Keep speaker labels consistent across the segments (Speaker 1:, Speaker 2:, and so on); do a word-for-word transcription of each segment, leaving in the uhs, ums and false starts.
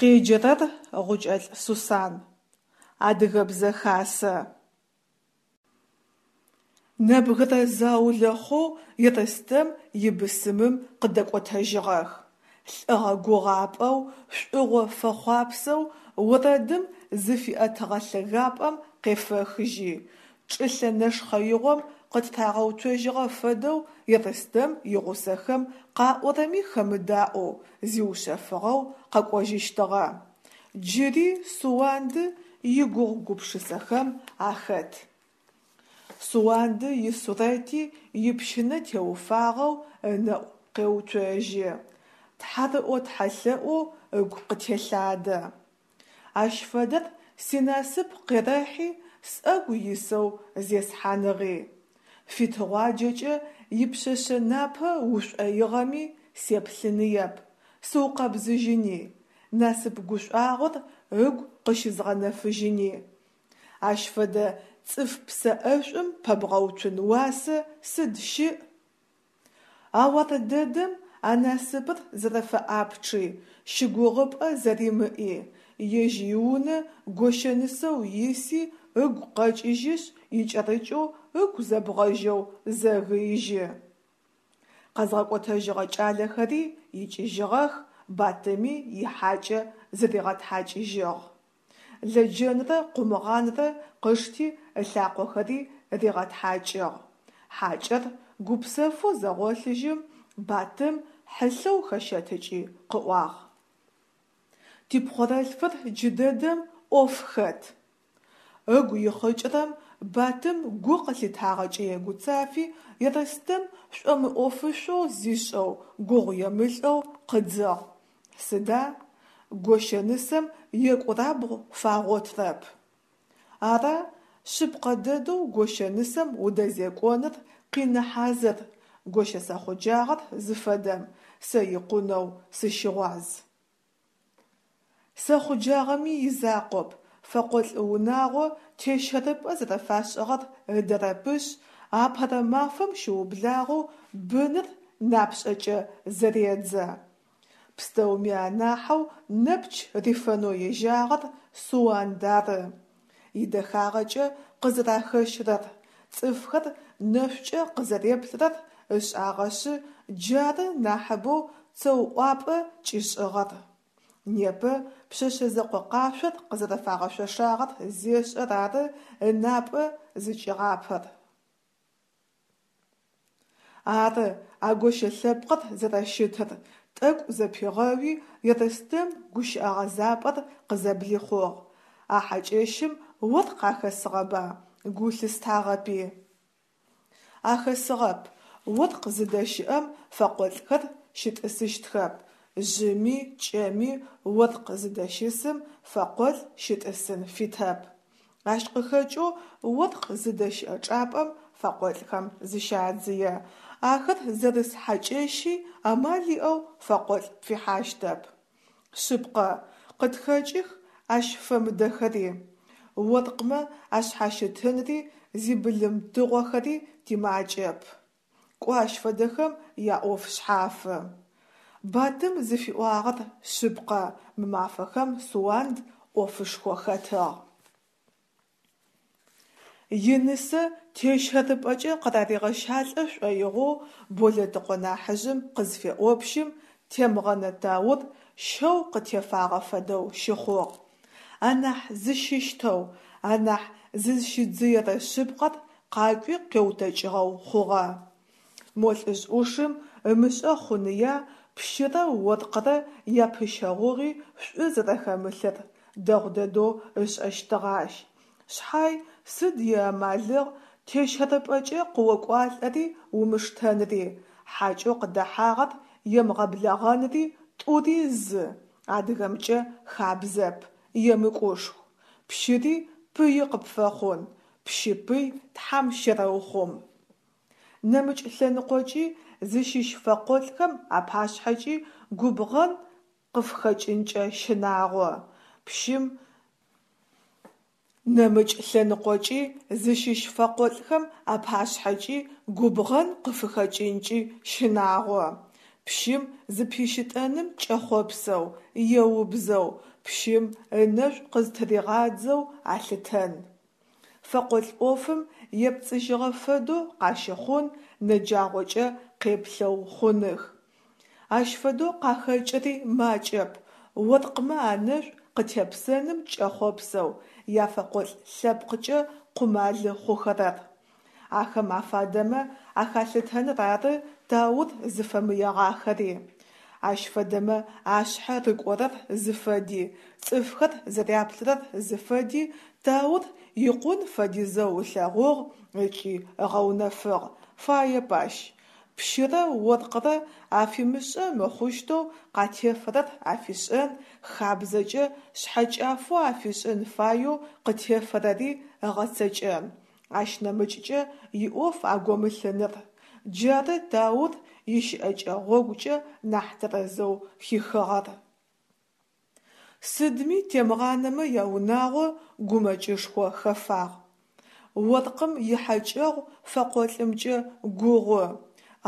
Speaker 1: Къеджэрэр Гъукӏэлӏ Сусан. Адыгэбзэ хасэ. Нэбгырэ заулэ хъоу Ерстэм ибысымым къыдэкӏотэжьыгъэх. Лӏыгъэ гугъапӏэу, шӏугъо фэхъуапсэу орэдым зыфиӏэтыгъэ лъэгапӏэм къефэхыжьи, чӏылъэ нэшхъэигъом къытырагъэуцожьыгъэ фэдэу Ерстэм игъусэхэм къаӏорэми хэмыдаӏоу, зиушъэфыгъэу къэкӏожьыщтыгъэ. Джыри Суанды игугъу-гупшысэхэм ахэт. Суанды исурэти ипщынэ теуфагъэу ынэӏу къеуцожьы, тхьарыӏо тхьэлъэӏоу ыгу къытелъадэ. Ащ фэдэр синасып къерэхьи сӏэгу исэу зесхьаныгъи. Фитыгъуаджэкӏэ ипшъэшъэ напэ ушӏоигъэми сеплъыныеп, сыукъэбзыжьыни, насып гушӏуагъор ыгу къыщызгъэнэфыжьыни. Ащ фэдэ цӏыф псэ ӏэшӏум пэбгъэуцун уасэ сыд щыӏ? Ау ар дэдэм а насыпыр зэрэфэӏапчъи, щыгугъыпӏэ зэримыӏи, ежь иунэ гощэнысэу иси ыгу къэкӏыжьышъ икӏэрыкӏэу ыгу зэбгъэжьэу зэгыижьы. Къэзгъэкӏотэжьыгъэ кӏалэхэри икӏыжьыгъэх, Батыми ихьакӏэ зыригъэтхьакӏыжьыгъ. Лэджэнрэ къумгъанрэ къышти ылъакъохэри ригъэтхьакӏыгъ. Хьакӏэр гупсэфэу зэгъолъыжьым, Батым хьылъэу хэщэтыкӏи къыӏуагъ: Типхъорэлъфыр джыдэдэм ӏоф хэт. Ыгу ихъыкӏырэм Батым гу къылъитагъэкӏэ егуцафи, Ерстэм шӏомыӏофышъоу зишӏэу гугъуемылӏэу къыдзыгъ: Сыда? Гощэнысэм екӏурабгъу фагъотрэп. Ара, шъыпкъэ дэдэу гощэнысэм удэзекӏоныр къины хьазыр, гощэ сэхъуджагъэр зыфэдэм сэ икъунэу сыщыгъуаз. Сэхъуджагъэми изакъоп, фэкъолӏ унагъо тещэрыпӏэ зэрэфашӏыгъэр ыдэрэпышъ, апэрэ мафэм щыублагъэу быныр напшӏэкӏэ зэредзэ. Пстэуми анахьэу нэпч рифэнэу ежьагъэр Суанд ары. Идэхагъэкӏэ къызэрахэщрэр, цӏыфхэр нэшӏукӏэ къызэреплърэр ышӏагъэшъы джары нахьыбэу цэуӏуапӏэ кӏишӏыгъэр. Непэ пшъэшъэ зэкъо къашъор къызэрэфагъэшъошагъэр зешӏэр ары ынапӏэ зыкӏигъапэр. Ары а гощэ лъэпкъыр зэрэщытыр, тӏэкӏу зэпигъэуи Ерстэм гущыӏэ гъэзапӏэр къызэблихъугъ: А хьакӏэщым оркъ ахэсыгъэба, гу лъыстагъэпи? Ахэсыгъэп. Оркъ зыдэщыӏэм фэкъолӏхэр щытӏысыщтхэп. Жъыми кӏэми оркъ зыдэщысым фэкъолӏ щытӏысын фитэп. Ащ къыхэкӏэу оркъ зыдэщыӏэ чӏапӏэм фэкъолӏхэм зыщадзые. Ахэр зэрыс хьакӏэщи амал иӏэу фэкъолӏ пфихьащтэп. Шъыпкъэ, къытхэкӏых ащ фэмыдэхэри. Оркъмэ ашъхьащытынри зибылым тыгъохэри тимакӏэп. Кӏо ащ фэдэхэм яӏоф шъхьафы. Батым зыфиӏуагъэр шъыпкъэ, мы мафэхэм Суанд ӏофышхо хэтыгъ. Инысэ тещэрыпӏэкӏэ къыраригъэщалӏэ шӏоигъоу Болэтыкъо нахьыжъым къызфеӏопщым, Темгъэнэ Таур щэу къытефагъэ фэдэу щыхъугъ. Анахь зыщыщтэу, анахь зызщидзыерэ шъыпкъэр къакӏуи къеутэкӏыгъэу хъугъэ. Мо лӏыжъ ӏушым ымышӏэ хъуныя пщырэ оркърэ япыщэгъугъи шӏу зэрэхэмылъыр, дэгъу дэдэу ышӏэщтыгъэ ащ. Шъхьай сыд иамалыгъ тещэрыпӏэкӏэ къыокӏуалӏэри умыштэнри, хьакӏэу къыдэхьагъэр емыгъэблэгъэнри тӏури зы, адыгэмкӏэ хабзэп, емыкӏушху. Пщыри пыи къыпфэхъун, пщы пый тхьам щерэухъум. Нэмыкӏ лъэныкъокӏи, зыщыщ фэкъолӏхэм апашъхьэкӏи губгъэн къыфхэкӏынкӏэ щынагъо. Пщым нэмыкӏ лъэныкъокӏи, зыщыщ фэкъолӏхэм апашъхьэкӏи губгъэн къыфыхэкӏынкӏи щынагъо. Пщым зыпищытӏэным кӏэхъопсэу, еубзэу, пщым ынэшӏу къызтыригъадзэу алъытэн. Фэкъолӏ ӏофым епцӏыжьыгъэ фэдэу къащыхъун, нэджагъокӏэ къеплъэу хъуных. Ащ фэдэу къахэкӏыри макӏэп оркъмэ анэшӏу къытепсэным кӏэхъопсэу яфэкъолӏ лъэпкъкӏэ къумалы хъухэрэр. Ахэм афадэмэ ахалъытэныр ары Таур зыфэмыегъахэри. Ащ фэдэмэ ашъхьэ рыкӏорэр зыфэди, цӏыфхэр зэряплърэр зыфэди Таур икъун фэдизэу ылъэгъугъ ыкӏи ыгъэунэфыгъ, фаеп ащ. Пщырэ оркърэ афимышӏэ мыхъущтэу къатефэрэр афишӏэн, хабзэкӏэ шъхьэкӏафэу афишӏын фаеу къытефэрэри ыгъэцэкӏэн, ащ нэмыкӏкӏэ иӏоф агомылъыныр – джары Таур ищыӏэкӏэ гъогукӏэ нахь тэрэзэу хихыгъэр. Сыдми Темгъанэмэ яунагъо гумэкӏышхо хэфагъ. Оркъым ихьэкӏэгъу фэкъолӏымкӏэ гугъу,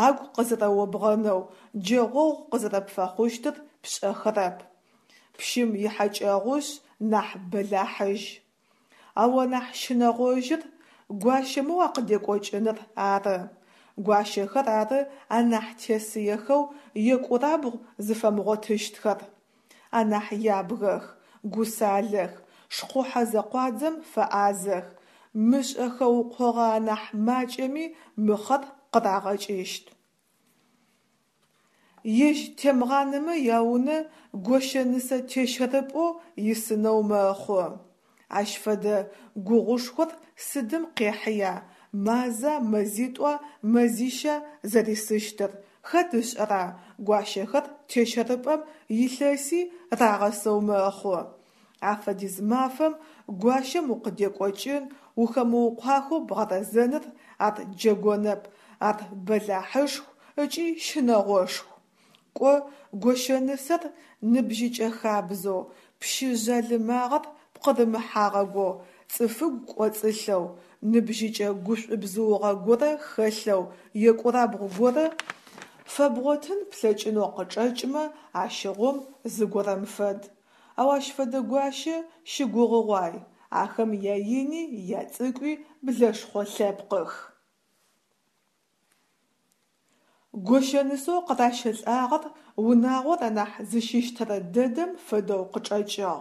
Speaker 1: агу къызэрэобгъэнэу, джэгъогъу къызэрэпфэхъущтыр пшӏэхэрэп. Пщым ихьэкӏэгъушъ нахь бэлахьыжь. Ау анахь щынэгъожьыр гуащэмэ уакъыдекӏокӏыныр ары. Гуащэхэр ары анахь тесыехэу екӏурабгъу зыфэмыгъотыщтхэр. Анахь ябгэх, гусалэх, шхъухьэ зэкъуадзэм фэӏазэх, мышӏэ хэукъогъэ анахь макӏэми мыхъэр къырагъэкӏыщт. Ежь Темгъанэмэ яунэ гощэ-нысэ тещэрыпӏэу исынэу мэхъу. Ащ фэдэ гугъушхор сыдым къехьыя, маза, мэзитӏуа, мэзища зэрисыщтыр, хэт ышӏэра, гуащэхэр тещэрыпӏэм илъэси рагъэсэу мэхъу. Афэдиз мафэм гуащэм укъыдекӏокӏын, ухэмыукъуахэу бгъэрэзэныр ар джэгонэп, ар бэлахьышху ыкӏи щынэгъошху. Кӏо гощэнысэр ныбжьыкӏэ хабзэу, пщы жъалымагъэр пкъырымыхьагъэгоу, цӏыфыгу кӏоцӏылъэу, ныбжьыкӏэ гушӏубзыугъэ горэ хэлъэу екӏурабгъу горэ фэбгъотын плъэкӏынэу къычӏэкӏмэ, ащыгъум зыгорэм фэд. Ау ащ фэдэ гуащэ щыгугъыгъуай, ахэм яини яцӏыкӏуи блэшхъо лъэпкъых. Гощэнысэу къыращэлӏагъэр унагъор анахь зыщыщтэрэ дэдэм фэдэу къычӏэкӏыгъ.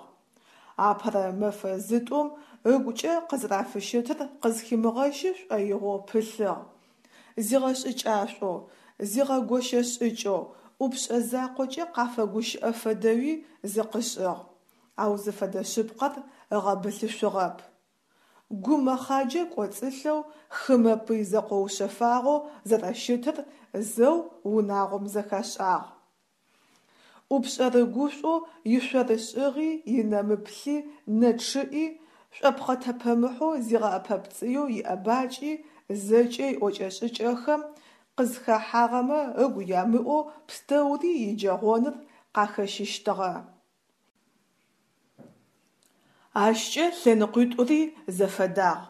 Speaker 1: Апэрэ мэфэ зытӏум ыгукӏэ къызэрэфыщытыр къызхимыгъэщы шӏоигъоу пылъыгъ. Зигъэшӏыкӏашӏоу, зигъэгощэ шӏыкӏэу, ӏупшӏэ закъокӏэ къафэгущыӏэ фэдэуи зыкъышӏыгъ, ау зыфэдэ шъыпкъэр ыгъэбылъышъугъэп. Гу мэхъаджэ кӏоцӏылъэу, хымэ пый зэкъоушъэфагъэу зэрэщытыр зэу унагъом зэхашӏагъ. ӏупшӏэрыгушӏоу ишъорышӏыгъи, инэмыплъи, нэ чъыӏи, шӏопхъэтэпэмыхьэу зигъэӏэпэпцӏыеу иӏэбакӏи, зэкӏэ иӏокӏэ-шӏыкӏэхэм, къызхэхьагъэмэ ыгу ямыӏоу пстэури иджэгъоныр къахэщыщтыгъэ. Ащкӏэ лъэныкъуитӏури зэфэдагъ: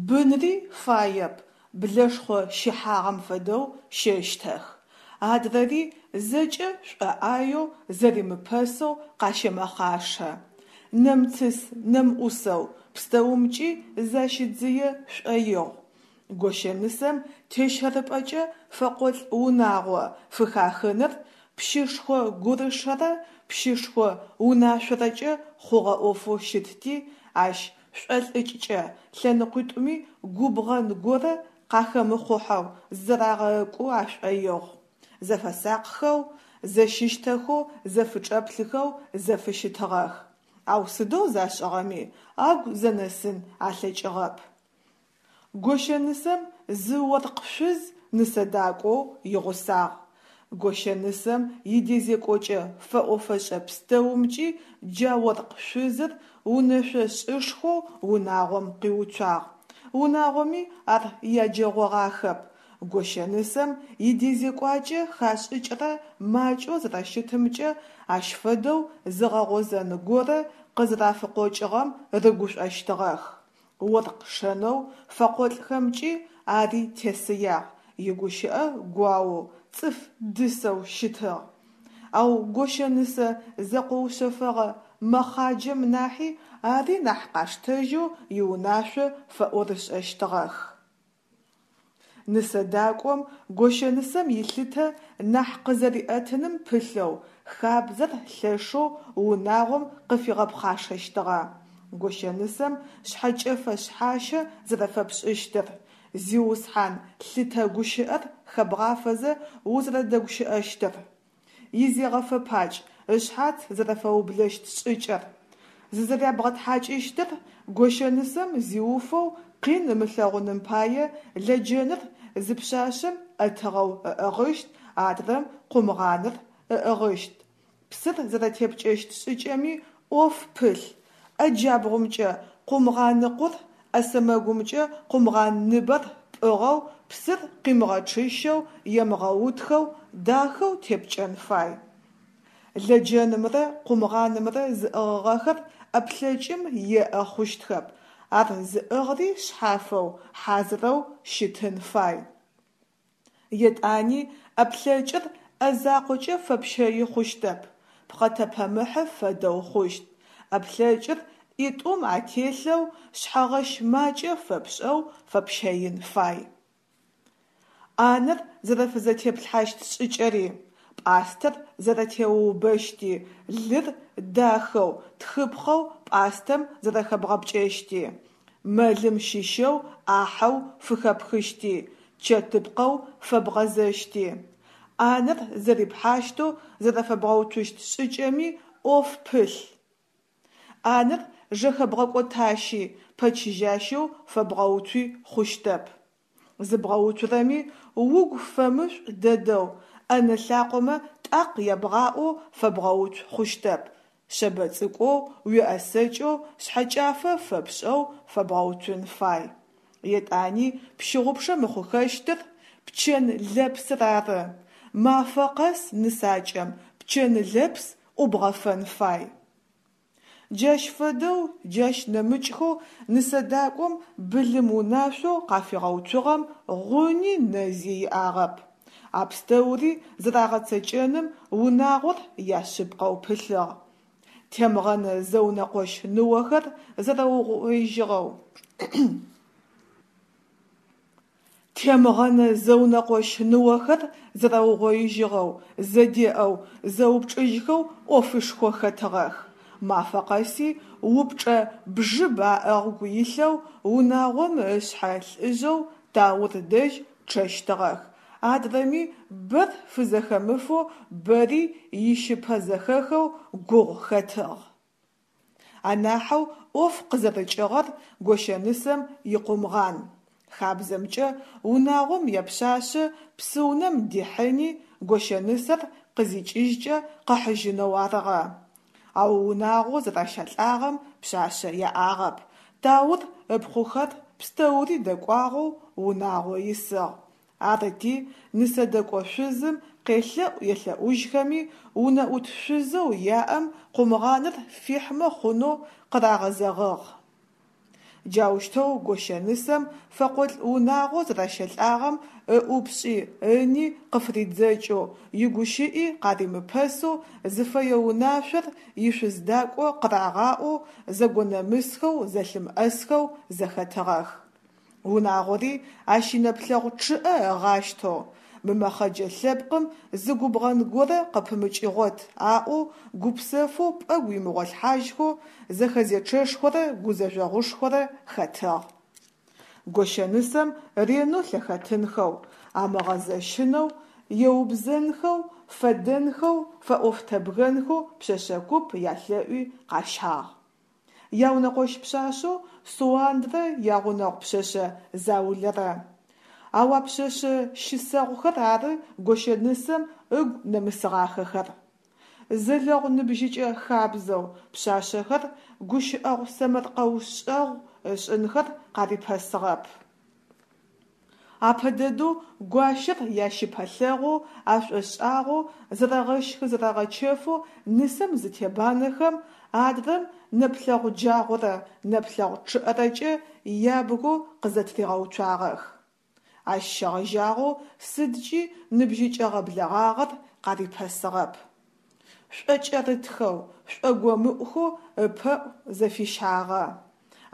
Speaker 1: бынри фаеп, блэшхъо щыхьагъэм фэдэу щэщтэх, адрэри зэкӏэ шӏоӏаеу, зэримыпэсэу къащэмэхъашэ, нэмыцыс-нэмыӏусэу пстэумкӏи защидзые шӏоигъу. Гощэнысэм тещэрыпӏэкӏэ фэкъолӏ унагъо фыхахыныр пщышхо гурышэрэ пщышхо унашъорэкӏэ хъугъэ ӏофэу щытти, ащ шӏолӏыкӏкӏэ лъэныкъуитӏуми губгъэн горэ къахэмыхъухьэу зызэрагъэкӏу ашӏоигъу. Зэфэсакъхэу, зэщыщтэхэу, зэфычӏэплъыхэу зэфыщытыгъэх. Ау сыдэу зашӏыгъэми агу зэнэсын алъэкӏыгъэп. Гощэнысэм зы оркъ шъуз нысэдакӏоу игъусагъ. Гощэнысэм идэзекӏокӏэ фэӏо-фэшӏэ пстэумкӏи джа оркъ шъузыр унэшъошӏышхоу унагъом къиуцуагъ. Унагъоми ар яджэгъогъахэп, гощэнысэм идэзекӏуакӏэ хашӏыкӏырэ макӏэу зэрэщытымкӏэ ащ фэдэу зыгъэгъозэн горэ къызэрафыкъокӏыгъэм рыгушӏощтыгъэх. Оркъ шэнэу фэкъолӏхэмкӏи ари тесыягъ, игущыӏэ гуаоу, цӏыф дысэу щытыгъ. Ау гощэнысэ зэкъоушъэфэгъэ мэхъаджэм нахьи ари нахь къаштэжьэу иунашъо фэӏорышӏэщтыгъэх. Нысэдакӏом гощэнысэм илъытэ нахь къызэриӏэтыным пылъэу хабзэр лъэшэу унагъом къыфигъэпхъашэщтыгъэ: гощэнысэм шъхьэкӏэфэ шъхьащэ зэрэфэпшӏыщтыр, зиусхьан лъытэ гущыӏэр хэбгъафэзэ узэрэдэгущыӏэщтыр, изегъэфэпакӏ, ышъхьац зэрэфэублэщт шӏыкӏэр, зызэрябгъэтхьакӏыщтыр, гощэнысэм зиуфэу къин ымылъэгъуным пае лэджэныр зы пшъашъэм ӏэтыгъэу ыӏыгъыщт, адрэм къумгъаныр ыӏыгъыщт, псыр зэрэтепкӏэщт шӏыкӏэми ӏоф пылъ, ӏэ джабгъумкӏэ къумгъаныкъур, ӏэ сэмэгумкӏэ къумгъанныбэр пӏыгъэу псыр къимыгъэчъыщэу, емыгъэутхэу дахэу тепкӏэн фай. Лэджэнымрэ къумгъанымрэ зыӏыгъыгъэхэр ӏэплъэкӏым еӏэ хъущтхэп, ар зыӏыгъри шъхьафэу, хьазырэу щытын фай. Етӏани ӏэплъэкӏыр ӏэ закъокӏэ фэпщэи хъущтэп, пхъэтэпэмыхьы фэдэу хъущт. ӏэплъэкӏыр ӏитӏум ателъэу, шъхьэгъэщ макӏэ фэпшӏэу фэпщэин фай. ӏанэр зэрэфызэтеплъхьащт шӏыкӏэри, пӏастэр зэрэтеуубэщти, лыр дахэу, тхыпхъэу пӏастэм зэрэхэбгъэпкӏэщти, мэлым щыщэу ӏахьэу фыхэпхыщти, чэтыпкъэу фэбгъэзэщти, ӏанэр зэрипхьащтэу зэрэфэбгъэуцущт шӏыкӏэми ӏоф пылъ. ӏанэр жэхэбгъэкӏотащи пэчыжьащэу фэбгъэуцуи хъущтэп. Зыбгъэуцурэми угу фэмышӏу дэдэу, ӏэнэ лъакъомэ тӏакъ ябгъаӏоу фэбгъэуцу хъущтэп, шъэбэ цӏыкӏоу, уеӏэсэкӏэу, шъхьэкӏафэ фэпшӏэу фэбгъэуцун фай. Етӏани пщыгъупшэ мыхъухэщтыр пчэн лэпсыр ары. Мафэ къэс нысакӏэм пчэн лэпс ӏубгъэфэн фай. Джащ фэдэу, джащ нэмыкӏхэу нысэдакӏом былым унашъоу къафигъэуцугъэм гъуни нэзи иӏагъэп. А пстэури зэрагъэцэкӏэным унагъор яшъыпкъэу пылъыгъ. Темгъэнэ зэунэкъощ ныохэр зэрэугъоижьыгъэу Темгъэнэ зэунэкъощ ныохэр зэрэугъоижьыгъэу, зэдеӏэу, зэупчӏыжьхэу ӏофышхо хэтыгъэх. Мафэ къэси упчӏэ бжыб аӏэгу илъэу унагъом ышъхьэ лӏыжъэу Таур дэжь чъэщтыгъэх, адрэми бэр фызэхэмыфэу, бэри ищыпэзэхэхэу гугъу хэтыгъ. Анахьэу ӏоф къызэрыкӏыгъэр гощэнысэм икъумгъан. Хабзэмкӏэ унагъом япшъашъэ псыунэм дихьыни гощэнысэр къызикӏыжькӏэ къыхьыжьынэу арыгъэ. Ау унагъоу зэращалӏагъэм пшъашъэ яӏагъэп, Таур ыпхъухэр пстэури дэкӏуагъэу унагъо исыгъ. Арыти, нысэдэкӏо шъузым къелъэӏу-елъэӏужьхэми, унэӏут шъузэу яӏэм къумгъаныр фихьмэ хъунэу къырагъэзэгъыгъ. Джаущтэу гощэнысэм фэкъолӏ унагъоу зэращэлӏагъэм ыӏупшӏи ыни къыфыридзэкӏэу, игущыӏи къаримыпэсэу, зыфэе унашъор ишъуздакӏо къырагъаӏоу, зэгонэмысхэу, зэлъымыӏэсхэу зэхэтыгъэх. Унагъори ащ инэплъэгъу чъыӏэ ыгъащтэу, мы мэхъэджэ лъэпкъым зы губгъэн горэ къыпымыкӏыгъот аӏоу гупсэфэу пӏэгу имыгъолъхьажьхэу зэхэзечъэшхорэ гузэжъогъушхорэ хэтыгъ. Гощэнысэм ренэу лъэхэтынхэу, амыгъэзэщынэу, еубзэнхэу, фэдэнхэу, фэӏофтэбгэнхэу пшъэшъэ куп ялъэӏуи къащагъ. Яунэкъощ пшъашъэу Суандрэ ягъунэгъу пшъэшъэ заулэрэ. Ау а пшъэшъэ щысэгъухэр ары гощэнысэм ыгу нэмысыгъахэхэр. Зэлэгъу ныбжьыкӏэ хабзэу пшъашъэхэр гущыӏэгъу сэмэркъэушӏэгъу ышӏынхэр къарипэсыгъэп. Апэ дэдэу гуащэр ящыпэлъэгъоу, ашӏошӏагъэу, зэрэгъэщхы-зэрэгъэчэфэу нысэм зытебанэхэм, адрэм нэплъэгъу джагъорэ нэплъэгъу чъыӏэрэкӏэ ябгэу къызэтыригъэуцуагъэх. Ащ щегъэжьагъэу сыдкӏи ныбжьыкӏэгъэ блэгъагъэр къарипэсыгъэп. Шӏокӏэрытхэу, шӏогомыӏухэу ыпэӏу зэфищагъэ.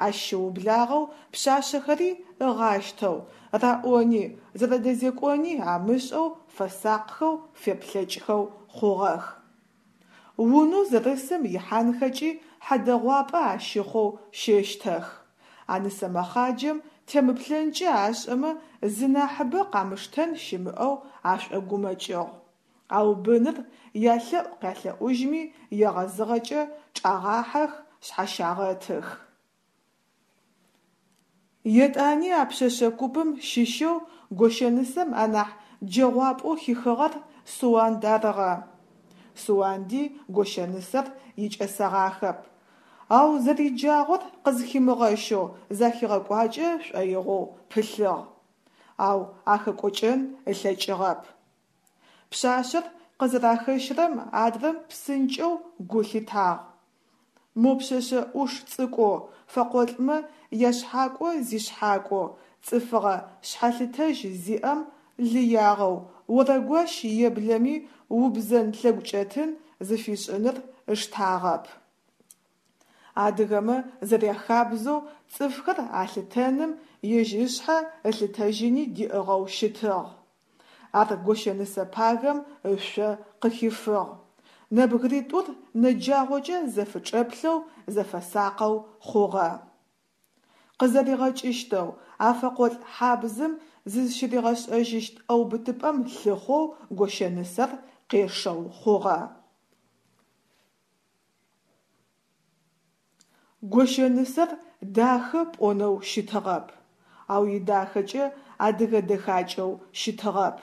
Speaker 1: Ащ щыублагъэу пшъашъэхэри ыгъащтэу, раӏони, зэрэдэзекӏони амышӏэу фэсакъхэу, феплъэкӏхэу хъугъэх. Унэу зэрысым ихьанхэкӏи хьэдэгъуапӏэ ащыхъоу щэщтэх. А нысэ мэхъаджэм темыплъэнкӏэ ашӏэмэ зынахьыбэ къамыштэн щымыӏэу ашӏогумэкӏыгъ. Ау быныр ялъэӏу къялъэӏужьми егъэзыгъэкӏэ чӏагъахьэх, шъхьащагъэтых. Етӏани а пшъэшъэ купым щыщэу гощэнысэм анахь джэгъуапӏэу хихыгъэр Суанд арыгъэ. Суанди гощэнысэр икӏэсэгъахэп, ау зэриджагъор къызхимыгъэщэу захигъэкӏуакӏэ шӏоигъоу пылъыгъ, ау ахэкӏокӏэн ылъэкӏыгъэп. Пшъашъэр къызэрахэщрэм адрэм псынкӏэу гу лъитагъ. Мо пшъэшъэ ӏуш цӏыкӏоу, фэкъолӏмэ яшъхьакӏо зишъхьакӏоу, цӏыфыгъэ шъхьэлъытэжь зиӏэм лыягъэу, орэгуащ еблэми убзэн-лъэгукӏэтын зыфишӏыныр ыштагъэп. Адыгэмэ зэряхабзэу цӏыфхэр алъытэным ежь ышъхьэ ылъытэжьыни диӏыгъэу щытыгъ. Ар гощэнысэ пагэм ышъо къыхифыгъ. Нэбгыритӏур нэджагъокӏэ зэфычӏэплъэу зэфэсакъэу хъугъэ. Къызэригъэкӏыщтэу, а фэкъолӏ хьабзым зызщыригъэшӏэжьыщт ӏэубытыпӏэм лъыхъоу гощэнысэр къешэу хъугъэ. Гощэнысэр дахэ пӏонэу щытыгъэп, ау идахэкӏэ адыгэ дэхакӏэу щытыгъэп.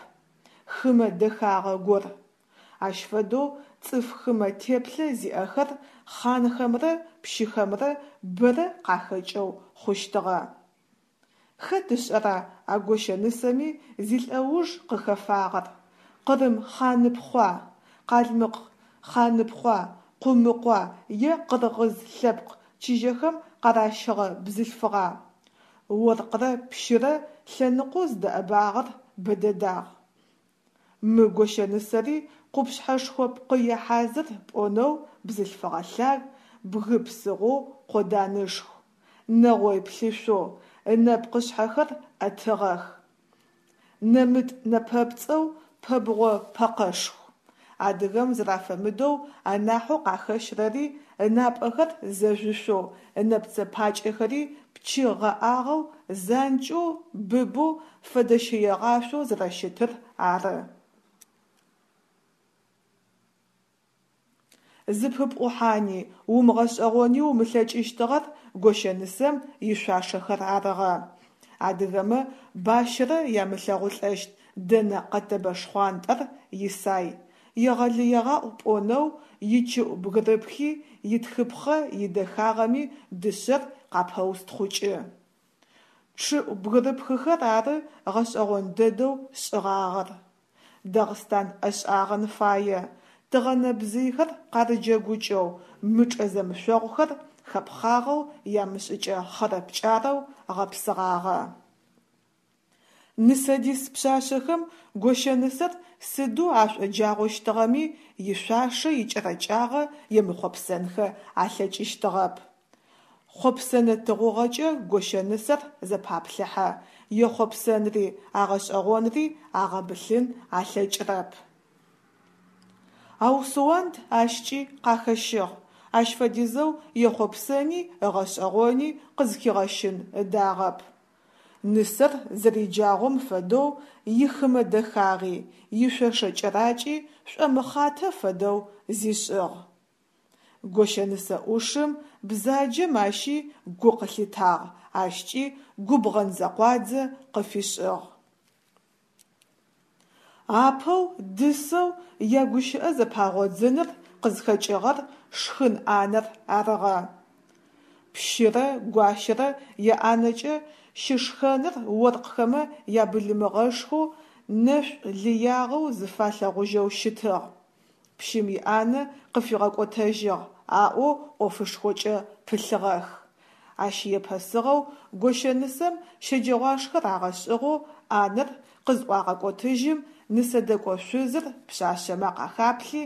Speaker 1: Хымэ дэхагъэ гор. Ащ фэдэу цӏыф хымэ теплъэ зиӏэхэр хъанхэмрэ пщыхэмрэ бэрэ къахэкӏэу хъущтыгъэ. Хэт ышӏэра а гощэнысэми зилӏэуж къыхэфагъэр: Къырым хъаныпхъуа, къалмыкъ хъаныпхъуа, къумыкъуа е къыргъыз лъэпкъ чыжьэхэм къаращыгъэ бзылъфыгъа? Оркърэ пщырэ лъэныкъоу зыдэӏэбагъэр бэдэдагъ. Мы гощэнысэри къупшъхьэшхо пкъые хьазыр пӏонэу бзылъфыгъэ лъаг, бгы псыгъоу къоданышху, нэгъой плъышъоу, ынэпкъышъхьэхэр ӏэтыгъэх, нэмытӏ нэпэпцӏэу пэбгъо пэкъэшху. Адыгэм зэрафэмыдэу анахьэу къахэщрэри ынапӏэхэр зэжъушъоу, ынэпцэ пакӏэхэри пчы гъэӏагъэу занкӏэу, быбэу, фэдэщэегъашъоу зэрэщытыр ары. Зыпыпӏухьани, умыгъэшӏэгъони умылъэкӏыщтыгъэр гощэнысэм ишъуашэхэр арыгъэ. Адыгэмэ бащэрэ ямылъэгъулӏэщт дэнэ къэтэбэ шхъуантӏэр исай, егъэлыегъаӏу пӏонэу ичыӏу бгырыпхи, итхыпхъэ идэхагъэми дышъэр къапэустхъукӏы. Чъыӏу бгырыпхыхэр ары гъэшӏэгъон дэдэу шӏыгъагъэр. Дагъыстан ӏэшӏагъэн фае, тыгъэнэбзыйхэр къарыджэгукӏэу, мычӏэ зэмышъогъухэр хэпхъагъэу ямышӏыкӏэ хъэрэ-пкӏарэу гъэпсыгъагъэ. Нысэдис пшъашъэхэм гощэнысэр сыдэу ашӏоджагъощтыгъэми, ишъуашэ икӏэрэкӏагъэ емыхъопсэнхэ алъэкӏыщтыгъэп. Хъопсэнэ тыгъугъэкӏэ гощэнысэр зэпаплъыхьэ, ехъопсэнри агъэшӏэгъонри агъэбылъын алъэкӏырэп. Ау Суанд ащкӏи къахэщыгъ, ащ фэдизэу ехъопсэни ыгъэшӏэгъони къызхигъэщын ыдагъэп. Нысэр зэриджагъом фэдэу ихымэ дэхагъи, ишъошэ кӏэракӏи шӏомыхъатэ фэдэу зишӏыгъ. Гощэнысэ ӏушым, бзаджэм ащи гу къылъитагъ, ащкӏи губгъэн-зэкъуадзэ къыфишӏыгъ. Апэу дысэу ягущыӏэ зэпагъодзыныр къызхэкӏыгъэр шхын ӏанэр арыгъэ. Пщырэ гуащэрэ яӏанэкӏэ щышхэныр оркъхэмэ ябылымыгъэшхоу, нэшӏу лыягъэу зыфалъэгъужьэу щытыгъ. Пщым иӏанэ къыфигъэкӏотэжьыгъ, аӏоу ӏофышхокӏэ пылъыгъэх. Ащ епэсыгъэу гощэнысэм щэджэгъуашхэ рагъэшӏыгъэу ӏанэр къызӏуагъэкӏотыжьым, нысэдэкӏо шъузыр пшъашъэмэ къахаплъи,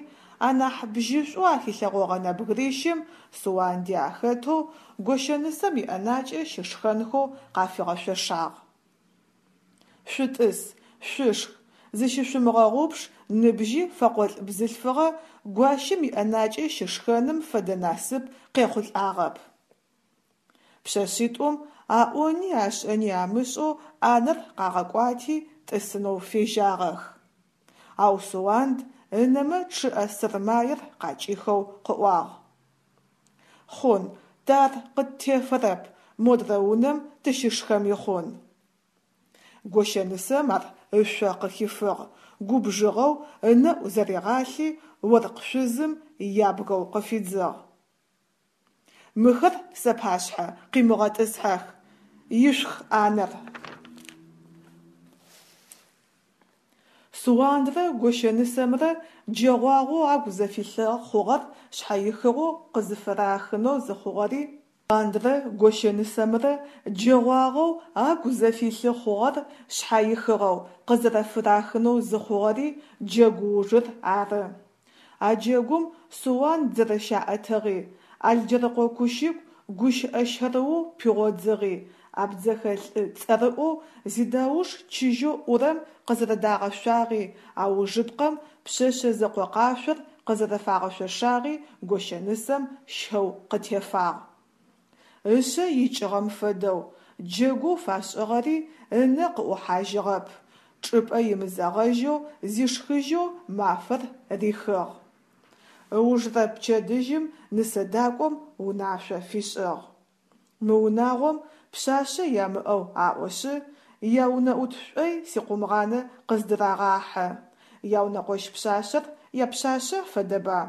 Speaker 1: анахь бжьышӏоу ахилъэгъогъэ нэбгырищым, Суанди ахэтэу, гощэнысэм иӏэнакӏэ щышхэнхэу къафигъэшъошагъ. Шъутӏыс, шъушх, зыщышъумыгъэгъупш ныбжьи фэкъолӏ бзылъфыгъэ гуащэм иӏэнакӏэ щышхэным фэдэ насып къехъулӏагъэп. Пшъэшъитӏум аӏони ашӏэни амышӏэу ӏанэр къагъэкӏуати тӏысынэу фежьагъэх. Ау Суанд ынэмэ чъыӏэ сэрмаер къакӏихэу къыӏуагъ: Хъун, тэ ар къыттефэрэп, модрэ унэм тыщышхэми хъун. Гощэнысэм ар ышъо къыхифыгъ, губжыгъэу ынэӏу зэригъалъи, оркъ шъузым ябгэу къыфидзыгъ: Мыхэр сапашъхьэ къимыгъэтӏысхьэх, ишъух ӏанэр! Суандрэ гощэнысэмрэ джэгъуагъэу агу зэфилъы хъугъэр шъхьэихыгъэу къызыфырахынэу зыхъугъэри Суандрэ гощэнысэмрэ джэгъуагъэу агу зэфилъы хъугъэр шъхьэихыгъэу къызэрэфырахынэу зыхъугъэри джэгу ужыр ары. А джэгум Суанд зэрэщаӏэтыгъи, Алджэрыкъо Кущыку гущыӏэ щэрыоу пигъодзыгъи, абдзэхэ лӏы цӏэрыӏоу зидауш чыжьэу ӏурэм къызэрэдагъэшъуагъи, аужыпкъэм пшъэшъэ зэкъо къашъор къызэрэфагъэшъошагъи гощэнысэм щэу къытефагъ. Ышъэ икӏыгъэм фэдэу, джэгоу фашӏыгъэри ынэ къыӏухьажьыгъэп, чӏыпӏэ имызэгъэжьэу зишхыжьэу мафэр рихыгъ. Ыужрэ пчэдыжьым нысэдакӏом унашъо фишӏыгъ: Мы унагъом пшъашъэ ямыӏэу аӏошъы, яунэӏут шӏой сикъумгъанэ къыздырагъахьы. Яунэкъощ пшъашъэр япшъашъэ фэдэба?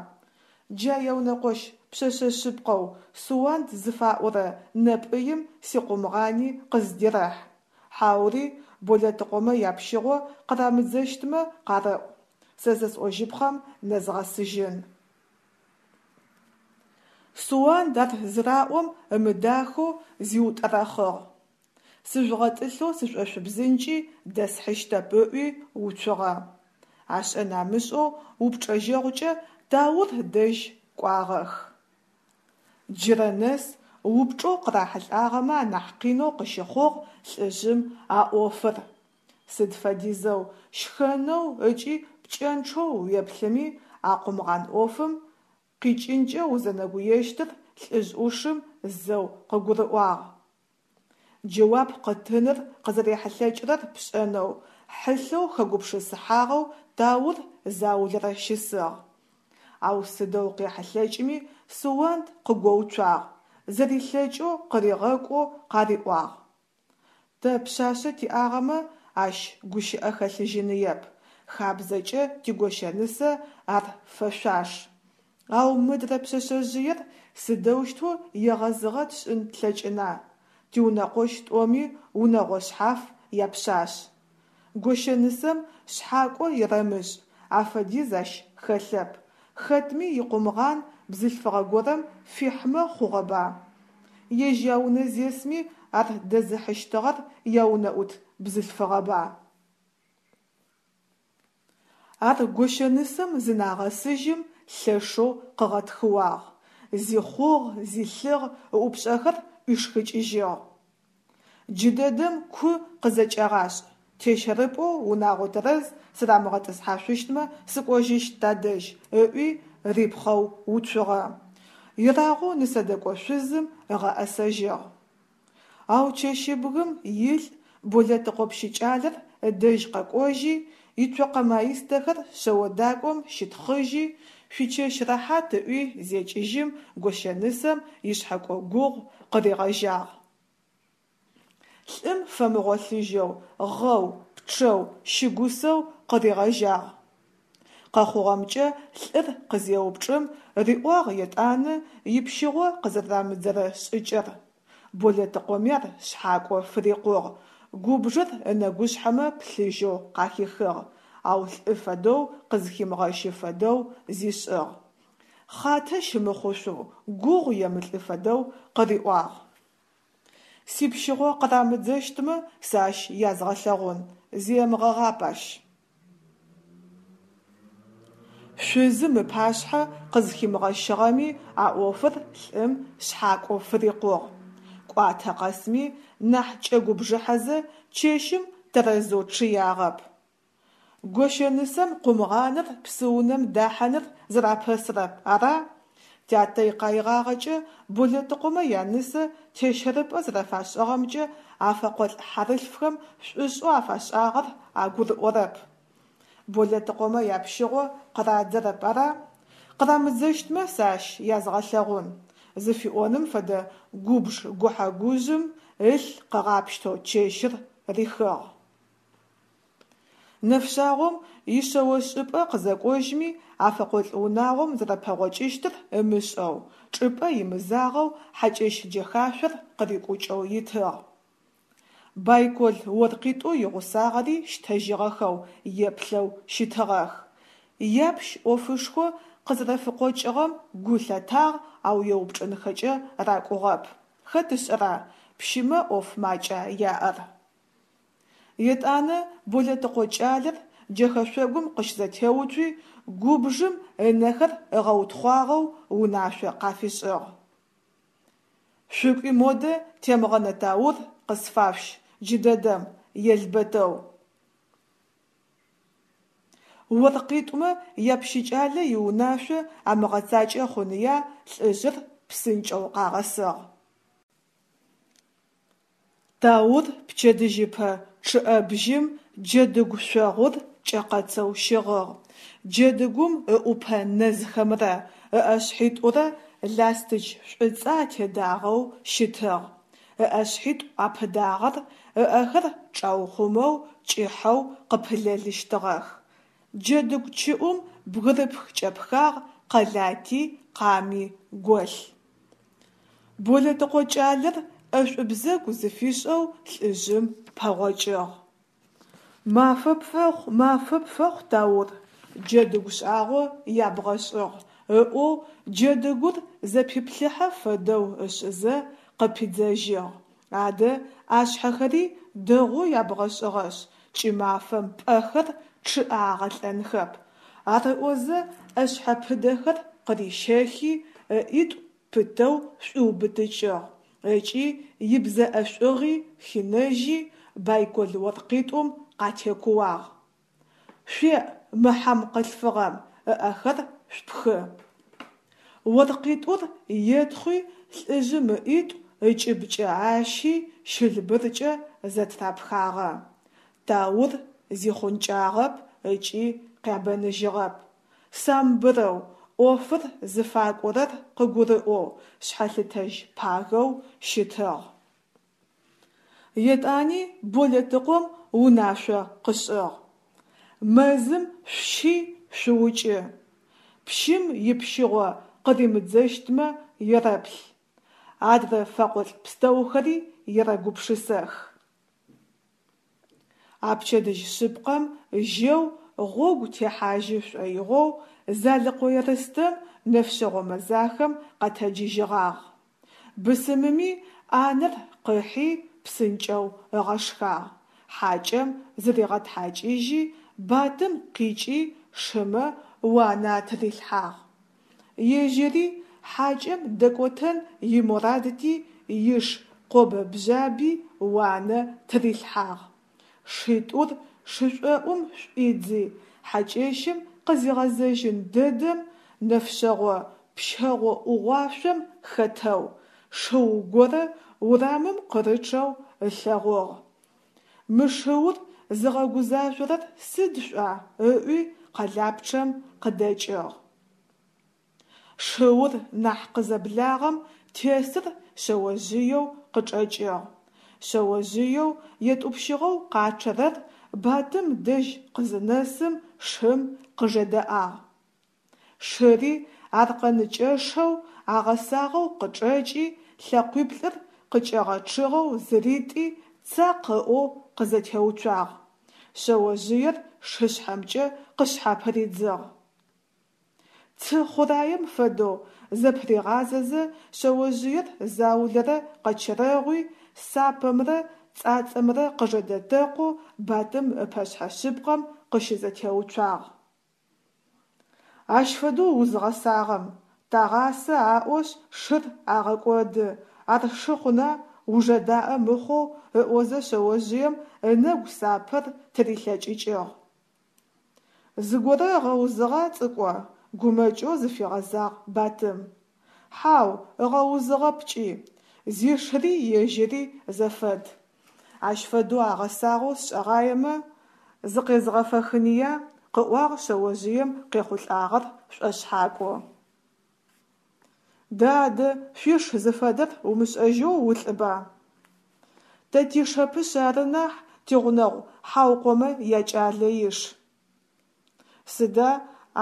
Speaker 1: Джа яунэкъощ пшъэшъэ шъыпкъэу Суанд зыфаӏорэ нэпӏыим сикъумгъани къыздерэхь. Хьаури Болэтыкъомэ япщыгъо къырамыдзэщтмэ къарэӏу, сэ зэсӏожьыпхъэм нэзгъэсыжьын. Суанд ар зыраӏом ымыдахэу зиутӏэрэхъыгъ. Сыжъугъэтӏылъэу сышӏошъубзынкӏи дэсхьыщтэп ыӏуи уцугъэ. Ашӏэн амышӏэу упчӏэжьэгъукӏэ Таур дэжь кӏуагъэх. Джырэ нэс упчӏэу къырахьылӏагъэмэ анахь къинэу къыщыхъугъ лӏыжъым а ӏофыр. Сыд фэдизэу щхэнэу ыкӏи пкӏэнчъэу уеплъыми, а къумгъан ӏофым къикӏынкӏэ узэнэгуещтыр лӏыжъ ӏушым зэу къыгурыӏуагъ. Джэуап къытыныр къызэрехьылъэкӏырэр пшӏэнэу, хьылъэу хэгупшысыхьагъэу Таур заулэрэ щысыгъ. Ау сыдэу къехьылъэкӏми Суанд къыгоуцуагъ, зэрилъэкӏэу къыригъэкӏоу къариӏуагъ: Тэ пшъашъэ тиӏагъэмэ, ащ гущыӏэ хэлъыжьыныеп, хабзэкӏэ тигощэнысэ ар фэшъуаш. Ау мыдрэ пшъэшъэжъыер сыдэущтэу егъэзыгъэ тшӏын тлъэкӏына, тиунэкъощ тӏоми унэгъо шъхьаф япшъашъ. Гощэнысэм шъхьакӏо ерэмышӏ, афэдиз ащ хэлъэп, хэтми икъумгъан бзылъфыгъэ горэм фихьмэ хъугъэба? Ежь яунэ зесми ар дэзыхьыщтыгъэр яунэӏут бзылъфыгъэба? Ар гощэнысэм зынагъэсыжьым лъэшэу къыгъэтхыуагъ, зихъугъ, зилъыгъ, ыӏупшӏэхэр ӏуишхыкӏыжьыгъ. Джыдэдэм ку къызэкӏэгъашӏ, тещэрыпӏоу унагъо тэрэз сырамыгъэтӏысхьашъущтмэ сыкӏожьыщт тадэжь, ыӏуи рипхъэу уцугъэ. Ерагъоу нысэдэкӏо шъузым ыгъэӏэсэжьыгъ. Ау чэщыбгым илӏ Болэтыкъо пщыкӏалэр ыдэжь къэкӏожьи, ицокъэ маистэхэр шъэодакӏом щитхъыжьи, шъуичэщ рэхьат ыӏуи зекӏыжьым гощэнысэм ишъхьэкӏо гугъу къыригъэжьагъ. Лӏым фэмыгъолъыжьэу, гъэу, пчъэу, щыгусэу къыригъэжьагъ. Къэхъугъэмкӏэ лӏыр къызеупчӏым, риӏуагъ етӏанэ ипщыгъо къызэрэрамыдзэрэ шӏыкӏэр. Болэтыкъоми ар шъхьакӏо фырикъугъ, губжыр ынэгушъхьэмэ плъыжьэу къахихыгъ, ау лӏы фэдэу къызхимыгъэщы фэдэу зишӏыгъ. Хъатэ щымыхъушъоу, гугъу емылӏы фэдэу къыриӏуагъ. Сипщыгъо къырамыдзэщтмэ, сэ ащ язгъэлъэгъун, земыгъэгъап ащ. Шъузым ыпашъхьэ къызхимыгъэщыгъэми, а ӏофыр лӏым шъхьакӏо фырикъугъ. Кӏуатэ къэсми нахь кӏэгубжыхьэзэ, чэщым тэрэзэу чъыягъэп. Гощэнысэм къумгъаныр псыунэм дахьаныр зэрапэсырэп, ара? Тятэ икъаигъагъэкӏэ Болэтыкъомэ янысэ тещэрыпӏэ зэрэфашӏыгъэмкӏэ а фэкъолӏ хьарылъфхэм шӏушӏэу афашӏагъэр агурыӏорэп. Болэтыкъомэ япщыгъо къырадзэрэп, ара? Къырамыдзэщтмэ, сэ ащ язгъэлъэгъун! Зыфиӏоным фэдэ губж гухьэ-гужъым ылъ къыгъапщтэу чэщыр рихыгъ. Нэфшъагъом ишъэошӏыпӏэ къызэкӏожьми, а фэкъолӏ унагъом зэрэпэгъокӏыщтыр ымышӏэу, чӏыпӏэ имызагъэу хьакӏэщ джэхашъор къырикӏукӏэу итыгъ. Байкол оркъитӏоу игъусагъэри щтэжьыгъэхэу еплъэу щытыгъэх. Япщ ӏофышхо къызэрэфыкъокӏыгъэм гу лъатагъ, ау еупчӏынхэкӏэ ракӏугъэп. Хэт ышӏэра, пщымэ ӏоф макӏа яӏэр. Етӏанэ Болэтыкъо кӏалэр джэхэшъогум къыщызэтеуцуи, губжым ынэхэр ыгъэутхъуагъэу унашъо къафишӏыгъ. Шъукӏуи модэ Темгъэнэ Таур къысфашъущ джыдэдэм, елбэтэу! Оркъитӏумэ япщыкӏалэ иунашъо амыгъэцакӏэ хъуныя, лӏыжъыр псынкӏэу къагъэсыгъ. Таур пчэдыжьыпэ чъыӏэбжьым джэдыгу шъогъур кӏэкъэцэу щыгъыгъ. Джэдыгум ыӏупэ нэзхэмрэ ыӏэшъхьитӏурэ ластыч шӏуцӏэ атедагъэу щытыгъ. Ыӏэшъхьитӏу апыдагъэр ыӏэхэр чӏаухъумэу кӏыхьэу къыпылэлыщтыгъэх. Джэдыгу чыӏум бгырыпх кӏэпхагъ, къэлати къами голъ. Болэтыкъо кӏалэр ӏэшӏу-бзэгу зыфишӏэу лӏыжъым пэгъокӏыгъ. Мафэ пфэхъу, мафэ пфэхъу, Таур, джэдыгу шӏагъо ябгъэшӏыгъ, ыӏоу джэдыгур зэпиплъыхьэ фэдэу ышӏызэ, къыпидзэжьыгъ. Адэ ӏашъхьэхэри дэгъоу ябгъэшӏыгъэшъ, кӏымафэм пӏэхэр чъыӏэ агъэлӏэнхэп. Ар ыӏозэ ӏэшъхьэпыдэхэр къырищэхи, ыӏитӏу пытэу шӏуиубытыкӏыгъ ыкӏи ибзэ ӏэшӏугъи хинэжьи, байкол оркъитӏум къатекууагъ: Шъуеӏ мы хьам къылъфыгъэм, ыӏэхэр шъупхы! Оркъитӏур етхъуи лӏыжъым ыӏитӏу ыкӏыбкӏэ ащи щылбыркӏэ зэтырапхагъэ. Таур зихъункӏагъэп ыкӏи къябэныжьыгъэп. Самбырэу, ӏофыр зыфакӏорэр къыгурыӏоу, шъхьэлъытэжь пагэу щытыгъ. Етӏани Болэтыкъом унашъо къышӏыгъ: Мэзым шъущи шъуукӏы. Пщым ипщыгъо къыримыдзэщтмэ ерэплъ. Адрэ фэкъолӏ пстэухэри ерэгупшысэх. А пчэдыжь шъыпкъэм жьэу гъогу техьажьы шӏоигъоу Залыкъо Ерстэм нэфшъэгъо мэзахэм къэтэджыжьыгъагъ. Бысымыми ӏанэр къыхьи псынкӏэу ыгъэшхагъ, хьакӏэм зыригъэтхьакӏыжьи, батым къикӏи шымэ уанэ атырилъхьагъ. Ежьыри хьакӏэм дэкӏотэн имурадти иш къобэ-бжъаби уанэ тырилъхьагъ. Шитӏур шышӏоӏум шӏуидзи, хьакӏэщым къызегъэзэжьын дэдэм нэфшъэгъо пщэгъо ӏугъуашъом хэтэу шыу горэ урамым къырычъэу ылъэгъугъ. Мы шыур зыгъэгузажъорэр сыд шӏуа? – ыӏуи къэлапчъэм къыдэкӏыгъ. Шыур нахь къызэблагъэм тесыр шъэожъыеу къычӏэкӏыгъ. Шъэожъыеу етӏупщыгъэу къачъэрэр батым дэжь къызынэсым шым къыжэдэӏагъ. Шыри аркъэныкӏэшэу агъэсагъэу къычӏэкӏи, лъэкъуиплӏыр къыкӏэгъэчъыгъэу зыритӏи, цакъ ыӏоу къызэтеуцуагъ. Шъэожъыер шышъхьэмкӏэ къышъхьапыридзыгъ. Цы хъураем фэдэу зэпыригъазэзэ шъэожъыер заулэрэ къэчэрэгъуи, сапэмрэ цӏацӏэмрэ къыжэдэтэкъоу Батым ыпэшъхьэ шъыпкъэм къыщызэтеуцуагъ. Ащ фэдэу узгъэсагъэм, тагъасэ аӏошъ шыр агъэкӏоды, ар шы хъуна, ужэдаӏэ мыхъоу, ыӏозэ шъэожъыем ынэгу сапэр тырилъэкӏыкӏыгъ. Зыгорэ ыгъэузыгъа, цӏыкӏо? – гумэкӏэу зыфигъэзагъ Батым. Хьау, ыгъэузыгъэп кӏи. Зишыри ежьыри зэфэд. Ащ фэдэу агъэсагъэу сшӏэгъаемэ, зыкъезгъэфэхыныя, – къыӏуагъ шъэожъыем къехъулӏагъэр шӏошъхьакӏоу. Дэ адэ, шъуиш зыфэдэр умышӏэжьэу улӏыба? Тэ тишэпышъ ары нахь, тигъунэгъу Хьаукъомэ якӏалэ иш. Сыда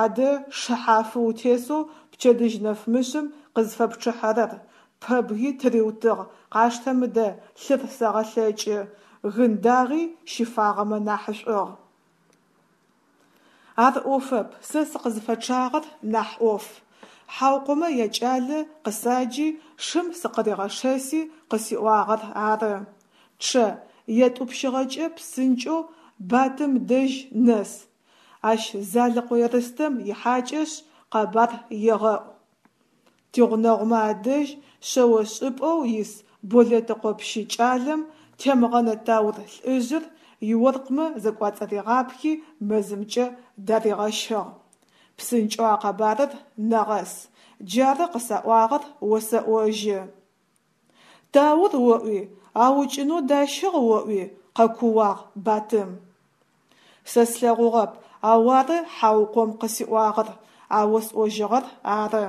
Speaker 1: адэ шы хьафы утесэу пчэдыжь нэфмышъым къызфэпчъыхьэрэр, пэбги тыриутыгъ, къаштэ мыдэ, лъыр сэгъэлъэкӏы, гын дагъи щыфагъэмэ нахьышӏугъ. Ар ӏофэп, сэ сыкъызфэчъагъэр нахь ӏоф. Хьаукъомэ якӏалэ къысаджи, шым сыкъыригъэшэси къысиӏуагъэр ары: «Чъэ, етӏупщыгъэкӏэ псынкӏэу Батым дэжь нэс, ащ Залыкъо Ерстэм ихьакӏэшъ, къэбар егъэӏу. Тигъунэгъумэ адэжь шъэошӏыпӏэу ис Болэтыкъо пщы кӏалэм Темгъэнэ Таур лӏыжъыр иоркъмэ зэкӏуацӏаригъапхи мэзымкӏэ даригъэщыгъ. Псынкӏэу а къэбарыр нэгъэс», джары къысаӏуагъэр осэӏожьы. Таур оӏуи, аукӏынэу дащыгъ оӏуи? – къэкууагъ Батым. Сэ слъэгъугъэп, ау ары Хьаукъом къысиӏуагъэр, а осӏожьыгъэр ары.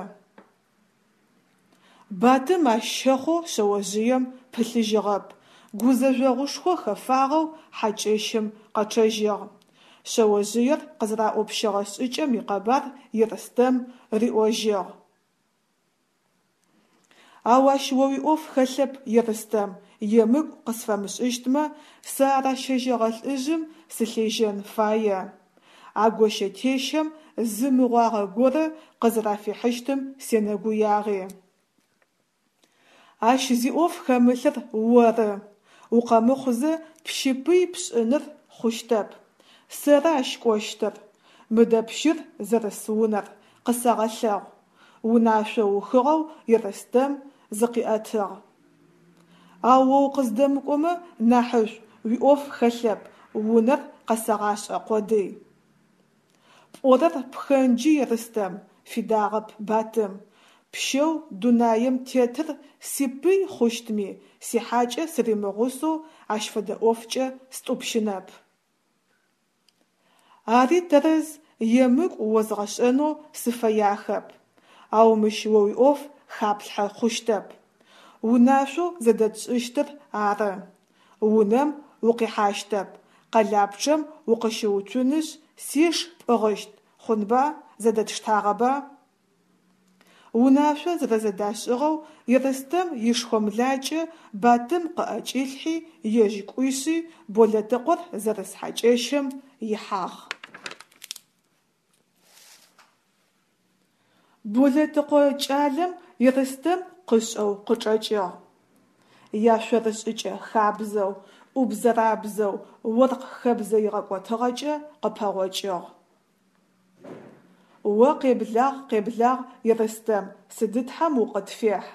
Speaker 1: Батым ащ щэхъоу шъэожъыем пылъыжьыгъэп, гузэжъогъушхо хэфагъэу хьакӏэщым къэчъэжьыгъ. Шъэожъыер къызэраӏопщыгъэ шӏыкӏэм икъэбар Ерстэм риӏожьыгъ. Ау ащ о уиӏоф хэлъэп, Ерстэм, емыкӏу къысфэмышӏыщтмэ, сэ а ращэжьэгъэ лӏыжъым сылъежьэн фае. А гощэ-тещэм зы мыгъуагъэ горэ къызэрафихьыщтым сенэгуягъи. Ащ зи ӏоф хэмылъыр оры. Укъэмыхъузэ пщы пый пшӏыныр хъущтэп. Сэры ащ кӏощтыр. Мыдэ пщыр зэрыс унэр къысэгъэлъэгъу, унашъо ухыгъэу Ерстэм зыкъиӏэтыгъ. Ау о укъыздэмыкӏомэ нахьышӏу, уиӏоф хэлъэп, унэр къэсэгъашӏэ къодый. Пӏорэр пхэнджы, Ерстэм, фидагъэп Батым. Пщэу дунаем тетыр сипый хъущтми, сихьакӏэ сыримыгъусэу ащ фэдэ ӏофкӏэ стӏупщынэп. Ари тэрэз, емыкӏу озгъэшӏэнэу сыфэяхэп. Ау мыщ о уиӏоф хаплъхьэ хъущтэп. Унашъоу зэдэтшӏыщтыр ары. Унэм укъихьащтэп, къэлапчъэм укъыщыуцунышъ, сиш пӏыгъыщт, хъунба, зэдэтштагъэба? Унашъо зэрэзэдашӏыгъэу Ерстэм ишхомлакӏэ Батым къыӏэкӏилъхьи, ежь кӏуишъи Болэтыкъор зэрыс хьакӏэщым ихьагъ. Болэтыкъо кӏалэм Ерстэм къышӏэу къычӏэкӏыгъ. Яшъорышӏыкӏэ хабзэу, ӏубзэрабзэу, оркъ хэбзэ игъэкӏотыгъэкӏэ къыпэгъокӏыгъ. О къеблагъ, къеблагъ, Ерстэм, сыдытхьэм укъытфехь,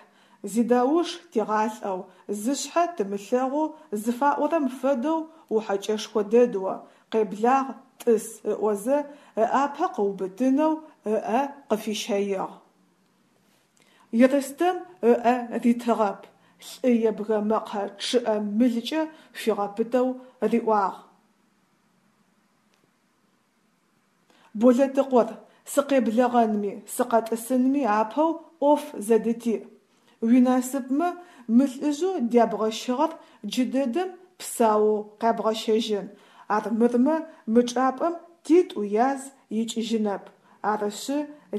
Speaker 1: зидауш тигъалӏэу, зышъхьэ тымылъэгъоу зыфаӏорэм фэдэу ухьэкӏэшхо дэд о, къеблагъ, тӏыс, ыӏозэ, ыӏапэ къыубытынэу ыӏэ къыфищэигъ. Ерстэм ыӏэ ритыгъэп, лӏы ебгэ мэкъэ чъыӏэ мылкӏэ фигъэпытэу риӏуагъ: Болэтыкъор, сыкъеблэгъэнми сыкъэтӏысынми апэу ӏоф зэдытиӏ. Уинасыпмэ, мы лӏыжъэу дябгъэщыгъэр джыдэдэм псаоу къябгъэщэжьын, армырмэ мы чӏапӏэм титӏу яз икӏыжьынэп. Арышъы,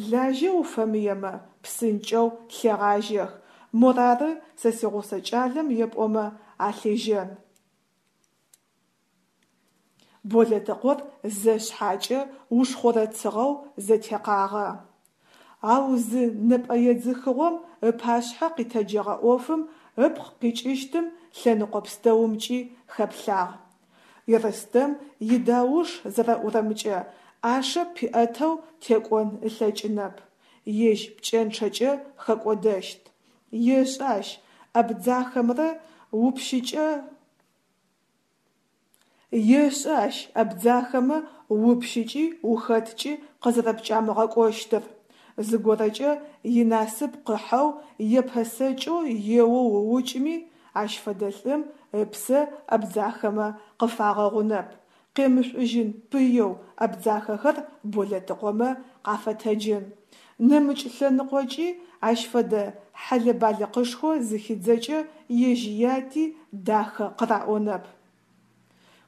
Speaker 1: лажьэ уфэмыемэ, псынкӏэу лъегъажьэх, морары сэ сигъусэ кӏалэм епӏомэ, алъежьэн. Болэтыкъор зэ шъхьакӏэ ушхъорэцыгъэу зэтекъагъэ. Ау зы нэпӏэедзыхыгъом ыпашъхьэ къитэджэгъэ ӏофым ыпкъ къикӏыщтым лъэныкъо пстэумкӏи хэплъагъ. Ерстэм идауш зэрэӏурэмкӏэ, ӏашэ пиӏэтэу текӏон ылъэкӏынэп, ежь пкӏэнчъэкӏэ хэкӏодэщт. Ешӏэ ащ абдзахэмрэ упщыкӏэ Ешӏэ ащ абдзахэмэ упщыкӏи ухэткӏи къызэрэпкӏамыгъэкӏощтыр. Зыгорэкӏэ инасып къыхьэу епэсэкӏэу еоу ыукӏми, ащ фэдэ лӏым ыпсэ абдзахэмэ къыфагъэгъунэп, къемышӏужьын пыеу абдзахэхэр Болэтыкъомэ къафэтэджын. Нэмыкӏ лъэныкъокӏи ащ фэдэ хьэлэ-балыкъышхо зыхидзэкӏэ ежь яти дахэ къыраӏонэп.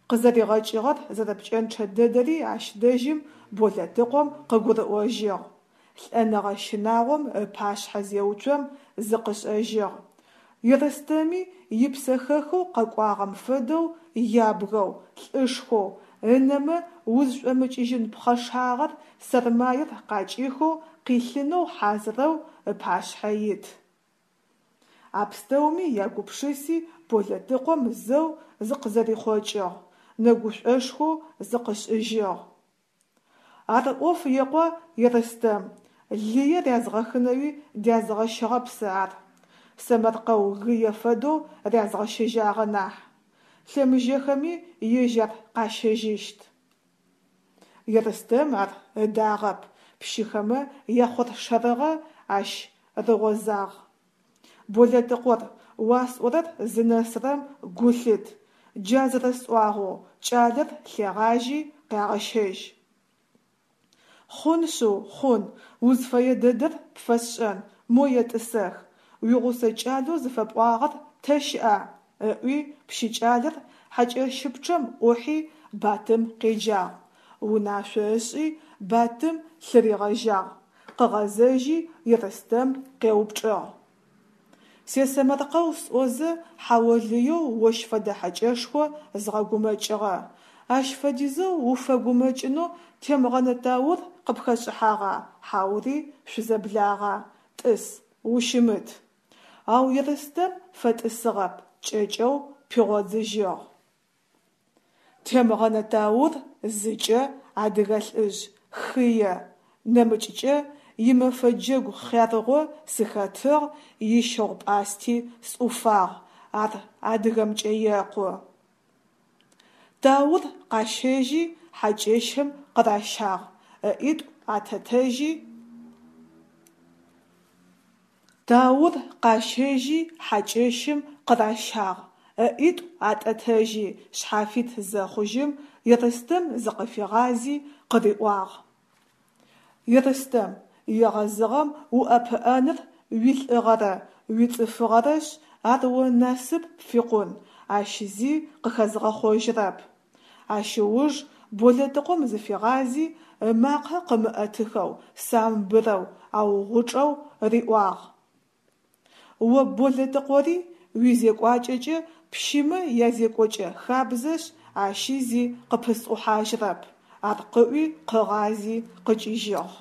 Speaker 1: Къызэригъэкӏыгъэр зэрэпкӏэнчъэ дэдэри ащ дэжьым Болэтыкъом къыгурыӏожьыгъ. Лӏэныгъэ щынагъом ыпашъхьэ зеуцом, зыкъышӏэжьыгъ. Ерстэми ипсэхэхэу къэкӏуагъэм фэдэу ябгэу, лӏышхоу, ынэмэ узшӏомыкӏыжьын пхъэшагъэр сэрмаер къакӏихэу къилъынэу хьазырэу ыпашъхьэ ит. А пстэуми ягупшыси, Болэтыкъом зэу зыкъызэрихъокӏыгъ, нэгушӏошхоу зыкъышӏыжьыгъ. Ар ӏоф еӏо Ерстэм, лые рязгъэхынэуи дязгъэщыгъэп сэ ар. Сэмэркъэу гые фэдэу рязгъэщэжьагъэ нахь. Лъэмыжэхэми ежь ар къащэжьыщт. Ерстэм ар ыдагъэп, пщыхэмэ яхъоршэрыгъэ ащ рыгъозагъ. Болэтыкъор, уасӏорэр зынэсырэм гу лъыт, джа зэрэсӏуагъэу, кӏалэр лъегъажьи къягъэщэжь. Хъун шъыу, хъун, узфэе дэдэр пфэсшӏэн, мо етӏысэх, уигъусэ кӏалэу зыфэпӏуагъэр тэ щыӏа? – ыӏуи, пщы кӏалэр хьакӏэщыпчъэм ӏухьи, Батым къеджагъ. Унашъо ышӏи, Батым лъыригъэжьагъ. Къыгъэзэжьи, Ерстэм къеупчӏыгъ: Сесэмэркъэу сӏозэ, хьаолыеу ощ фэдэ хьэкӏэшхо згъэгумэкӏыгъэ. Ащ фэдизэу уфэгумэкӏынэу Темгъэнэ Таур къыпхэшӏыхьагъа, хьаури шъузэблагъа? Тӏыс, ущымыт. Ау Ерстэм фэтӏысыгъэп, кӏэкӏэу пигъодзыжьыгъ. Темгъэнэ Таур зыкӏэ адыгэ лӏыжъ хые, нэмыкӏкӏэ имэфэ джэгу хъярыгъо сыхэтыгъ, ищыгъу-пӏасти сӏуфагъ, ар адыгэмкӏэ екъу. Таур къащэжьи хьакӏэщым къыращагъ, ыӏитӏу атӏэтэжьи. Таур къащэжьи хьакӏэщым къыращагъ, ыӏитӏу атӏэтэжьи шъхьафит зэхъужьым, Ерстэм зыкъыфигъази къыриӏуагъ: Ерстэм, егъэзыгъэм уӏэпыӏэныр уилӏыгъэрэ уицӏыфыгъэрэшъ, ар о насып пфикъун, ащ зи къыхэзгъэхъожьырэп. Ащ ыуж Болэтыкъом зыфигъази, ымакъэ къымыӏэтыхэу, самбырэу, ау гъучӏэу риӏуагъ: О Болэтыкъори уизекӏуакӏэкӏэ пщымэ язекӏокӏэ хабзэшъ, ащи зи къыпысӏухьажьырэп. Ар къыӏуи къыгъази къыкӏыжьыгъ.